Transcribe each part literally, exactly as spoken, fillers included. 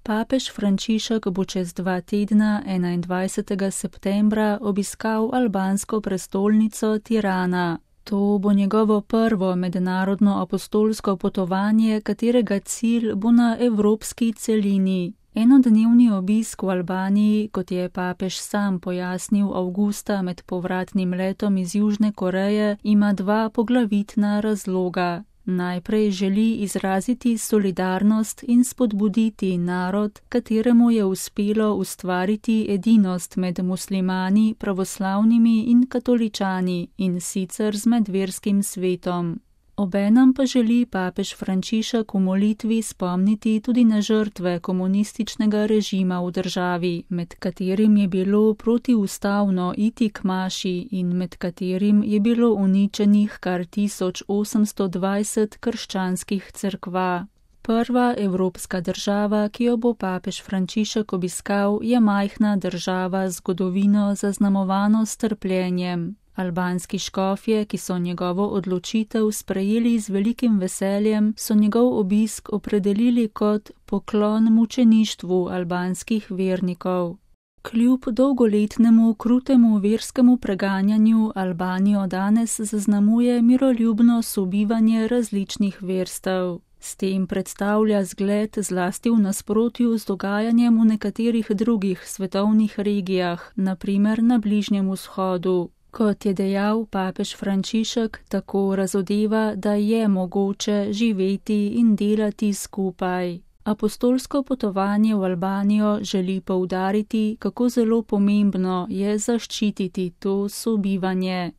Papež Frančišek bo čez dva tedna, enaindvajsetega septembra, obiskal albansko prestolnico Tirana. To bo njegovo prvo mednarodno apostolsko potovanje, katerega cilj bo na evropski celini. Enodnevni obisk v Albaniji, kot je papež sam pojasnil avgusta med povratnim letom iz Južne Koreje, ima dva poglavitna razloga. Najprej želi izraziti solidarnost in spodbuditi narod, kateremu je uspelo ustvariti edinost med muslimani, pravoslavnimi in katoličani, in sicer z medverskim svetom. Obenem pa želi papež Frančišek v molitvi spomniti tudi na žrtve komunističnega režima v državi, med katerim je bilo protiustavno iti k maši in med katerim je bilo uničenih kar tisoč osemsto dvajset krščanskih cerkva. Prva evropska država, ki jo bo papež Frančišek obiskal, je majhna država z zgodovino zaznamovano s trpljenjem. Albanski škofje, ki so njegovo odločitev sprejeli z velikim veseljem, so njegov obisk opredelili kot poklon mučeništvu albanskih vernikov. Kljub dolgoletnemu krutemu verskemu preganjanju Albanijo danes zaznamuje miroljubno sobivanje različnih verstev. S tem predstavlja zgled zlasti v nasprotju z dogajanjem v nekaterih drugih svetovnih regijah, na primer na Bližnjem vzhodu. Kot je dejal papež Frančišek, tako razodeva, da je mogoče živeti in delati skupaj. Apostolsko potovanje v Albanijo želi poudariti, kako zelo pomembno je zaščititi to sobivanje.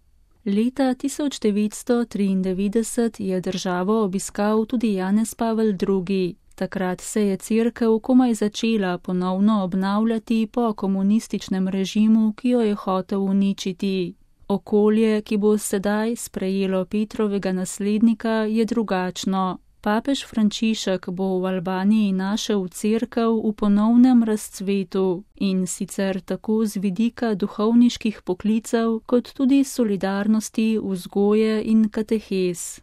Leta tisoč devetsto triindevetdeset je državo obiskal tudi Janez Pavel drugi. Takrat se je cerkev komaj začela ponovno obnavljati po komunističnem režimu, ki jo je hotel uničiti. Okolje, ki bo sedaj sprejelo Petrovega naslednika, je drugačno. Papež Frančišek bo v Albaniji našel cerkev v ponovnem razcvetu, in sicer tako z vidika duhovniških poklicev, kot tudi solidarnosti, vzgoje in katehez.